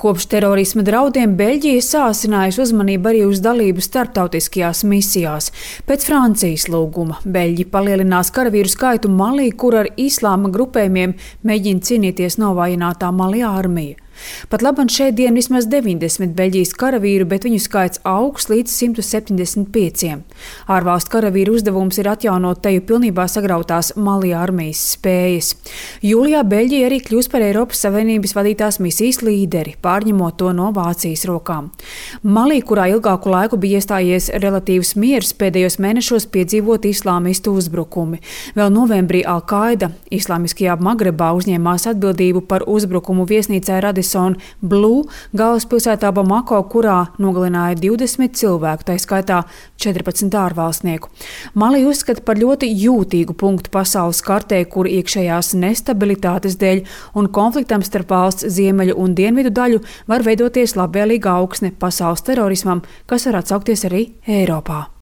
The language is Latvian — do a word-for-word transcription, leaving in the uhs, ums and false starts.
Kopš terorisma draudiem Beļģija sāsinājusi uzmanību arī uz dalību starptautiskajās misijās. Pēc Francijas lūguma Beļģi palielinās karavīru skaitu Malī, kur ar islāma grupējumiem mēģina cīnīties novājinātā Malī armija. Pat labam šeit dien vismaz deviņdesmit Beļģijas karavīru, bet viņu skaits augs līdz simt septiņdesmit pieciem. Ārvalstu karavīru uzdevums ir atjaunot teju pilnībā sagrautās Malī armijas spējas. Jūlijā Beļģija arī kļūs par Eiropas Savienības vadītās misijas līderi, pārņemot to no Vācijas rokām. Malī, kurā ilgāku laiku bija iestājies relatīvs miers, pēdējos mēnešos piedzīvot islāmistu uzbrukumi. Vēl novembrī Al-Qaida islāmiskajā Magrebā uzņēmās atbildību par uzbrukumu viesnīcai Radisson Blu galvaspilsētā Bamako, kurā nogalināja divdesmit cilvēku, tā skaitā četrpadsmit ārvalstnieku. Malī uzskata par ļoti jūtīgu punktu pasaules kartē, kur iekšējās nestabilitātes dēļ un konfliktam starp valsts ziemeļu un dienvidu daļu var veidoties labvēlīga augsne pasaules terorismam, kas var atsaukties arī Eiropā.